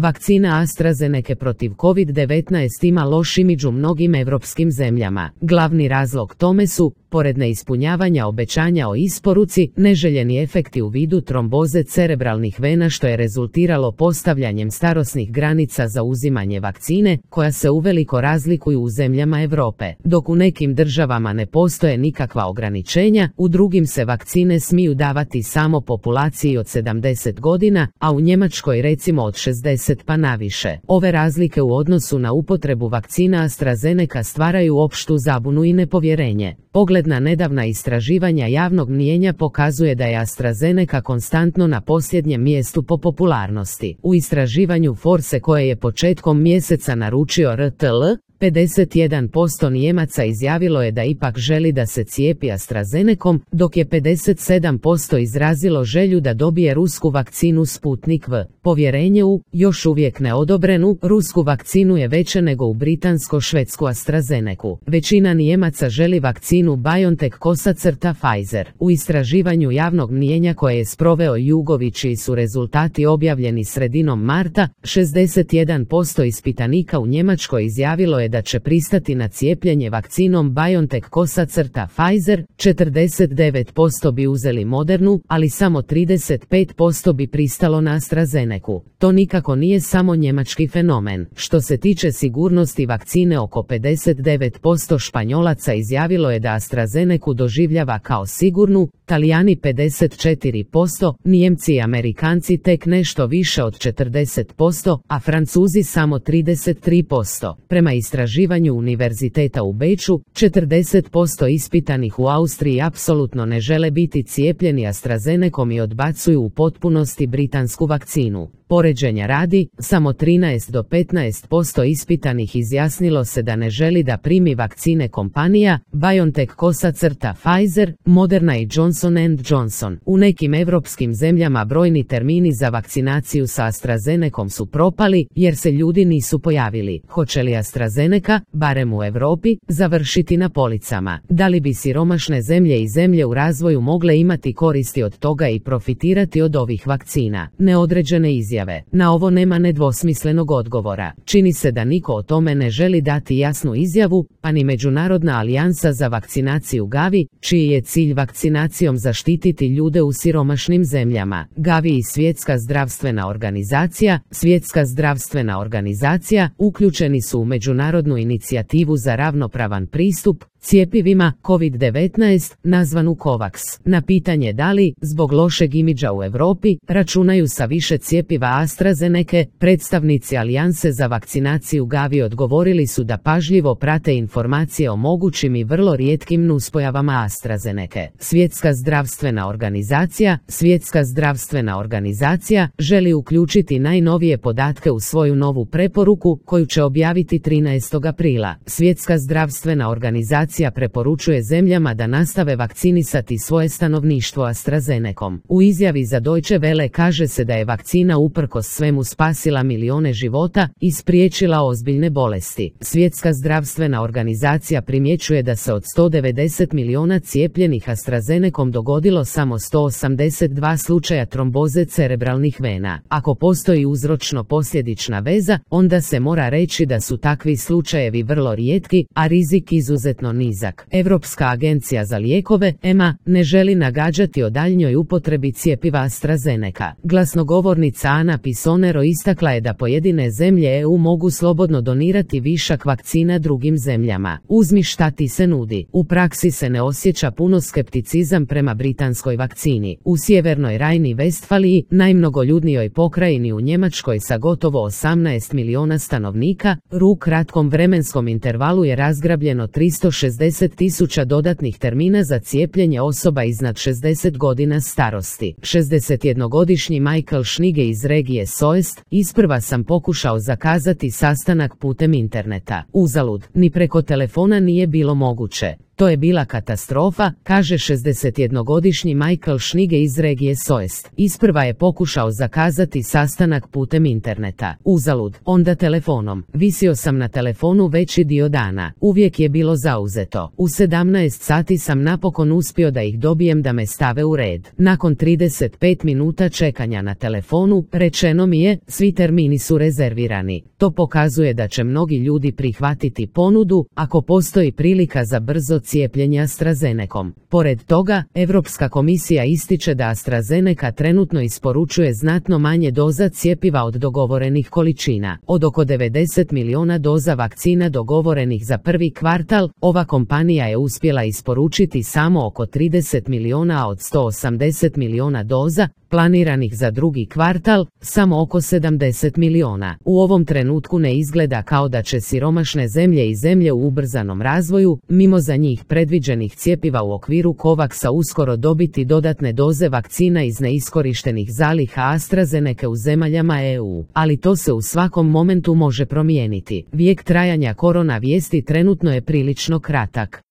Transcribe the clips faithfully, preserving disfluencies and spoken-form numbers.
vakcina AstraZeneca protiv kovid devetnaest ima loš imidž u mnogim evropskim zemljama. Glavni razlog tome su, pored neispunjavanja obećanja o isporuci, neželjeni efekti u vidu tromboze cerebralnih vena što je rezultiralo postavljanjem starosnih granica za uzimanje vakcine, koja se uveliko razlikuju u zemljama Europe. Dok u nekim državama ne postoje nikakva ograničenja, u drugim se vakcine smiju davati samo populaciji od sedamdeset godina, a u Njemačkoj recimo od šezdeset pa naviše. Ove razlike u odnosu na upotrebu vakcina AstraZeneca stvaraju opštu zabunu i nepovjerenje. Pogled na nedavna istraživanja javnog mnijenja pokazuje da je AstraZeneca konstantno na posljednjem mjestu po popularnosti. U istraživanju Force koje je početkom mjeseca naručio R T L, pedeset jedan posto Nijemaca izjavilo je da ipak želi da se cijepi AstraZenecom, dok je pedeset sedam posto izrazilo želju da dobije rusku vakcinu Sputnik V. Povjerenje u, još uvijek neodobrenu, rusku vakcinu je veće nego u britansko-švedsku AstraZenecu. Većina Nijemaca želi vakcinu BioNTech kosacrta Pfizer. U istraživanju javnog mnijenja koje je sproveo Jugović čiji su rezultati objavljeni sredinom marta, šezdeset jedan posto ispitanika u Njemačkoj izjavilo je da će pristati na cijepljenje vakcinom BioNTech kosacrta Pfizer, četrdeset devet posto bi uzeli Modernu, ali samo trideset pet posto bi pristalo na AstraZenecu. To nikako nije samo njemački fenomen. Što se tiče sigurnosti vakcine, oko pedeset devet posto Španjolaca izjavilo je da AstraZenecu doživljava kao sigurnu, Talijani pedeset četiri posto, Nijemci i Amerikanci tek nešto više od četrdeset posto, a Francuzi samo trideset tri posto. Prema istraživanju Univerziteta u Beču, četrdeset posto ispitanih u Austriji apsolutno ne žele biti cijepljeni AstraZenecom i odbacuju u potpunosti britansku vakcinu. Poređenja radi, samo trinaest do petnaest posto ispitanih izjasnilo se da ne želi da primi vakcine kompanija BioNTech kosacrta Pfizer, Moderna i Johnson and Johnson. U nekim evropskim zemljama brojni termini za vakcinaciju sa AstraZenecom su propali jer se ljudi nisu pojavili. Hoće li AstraZeneca, barem u Europi, završiti na policama? Da li bi siromašne zemlje i zemlje u razvoju mogle imati koristi od toga i profitirati od ovih vakcina? Neodređene izjave. Na ovo nema nedvosmislenog odgovora. Čini se da niko o tome ne želi dati jasnu izjavu, pa ni Međunarodna alijansa za vakcinaciju Gavi, čiji je cilj vakcinacijom zaštititi ljude u siromašnim zemljama. Gavi i Svjetska zdravstvena organizacija, Svjetska zdravstvena organizacija uključeni su u međunarodnu inicijativu za ravnopravan pristup cjepivima kovid devetnaest, nazvanu COVAX. Na pitanje da li, zbog lošeg imidža u Europi, računaju sa više cjepiva AstraZeneca, predstavnici Alijanse za vakcinaciju Gavi odgovorili su da pažljivo prate informacije o mogućim i vrlo rijetkim nuspojavama AstraZeneca. Svjetska zdravstvena organizacija, Svjetska zdravstvena organizacija želi uključiti najnovije podatke u svoju novu preporuku, koju će objaviti trinaestog aprila. Svjetska zdravstvena organizacija preporučuje zemljama da nastave vakcinisati svoje stanovništvo AstraZenecom. U izjavi za Deutsche Welle kaže se da je vakcina uprkos svemu spasila milione života i spriječila ozbiljne bolesti. Svjetska zdravstvena organizacija primjećuje da se od sto devedeset miliona cijepljenih AstraZenecom dogodilo samo sto osamdeset dva slučaja tromboze cerebralnih vena. Ako postoji uzročno-posljedična veza, onda se mora reći da su takvi slučajevi vrlo rijetki, a rizik izuzetno nizak. Europska agencija za lijekove, E M A, ne želi nagađati o daljnjoj upotrebi cjepiva AstraZeneca. Glasnogovornica Ana Pisonero istakla je da pojedine zemlje E U mogu slobodno donirati višak vakcina drugim zemljama. Uzmi šta ti se nudi. U praksi se ne osjeća puno skepticizam prema britanskoj vakcini. U sjevernoj Rajni-Vestfaliji, najmnogoljudnijoj pokrajini u Njemačkoj sa gotovo osamnaest miliona stanovnika, u kratkom vremenskom intervalu je razgrabljeno tristo šezdeset tisuća dodatnih termina za cijepljenje osoba iznad šezdeset godina starosti. šezdesetjednogodišnji Michael Schnige iz regije Soest: isprva sam pokušao zakazati sastanak putem interneta. Uzalud, ni preko telefona nije bilo moguće. To je bila katastrofa, kaže šezdesetjednogodišnji Michael Schnige iz regije Soest. Isprva je pokušao zakazati sastanak putem interneta. Uzalud, onda telefonom. Visio sam na telefonu veći dio dana. Uvijek je bilo zauzeto. U sedamnaest sati sam napokon uspio da ih dobijem da me stave u red. Nakon trideset pet minuta čekanja na telefonu, rečeno mi je, svi termini su rezervirani. To pokazuje da će mnogi ljudi prihvatiti ponudu, ako postoji prilika za brzo cijepljenje AstraZenecom. Pored toga, Europska komisija ističe da AstraZeneca trenutno isporučuje znatno manje doza cjepiva od dogovorenih količina. Od oko devedeset milijuna doza vakcina dogovorenih za prvi kvartal, ova kompanija je uspjela isporučiti samo oko trideset milijuna od sto osamdeset milijuna doza, planiranih za drugi kvartal, samo oko sedamdeset milijuna. U ovom trenutku ne izgleda kao da će siromašne zemlje i zemlje u ubrzanom razvoju, mimo za njih predviđenih cjepiva u okviru Covaxa uskoro dobiti dodatne doze vakcina iz neiskorištenih zaliha AstraZeneca u zemaljama E U. Ali to se u svakom momentu može promijeniti. Vijek trajanja korona vijesti trenutno je prilično kratak.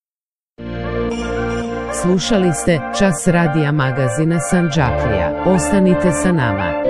Slušali ste Čas radija magazina Sandžaklija. Ostanite sa nama.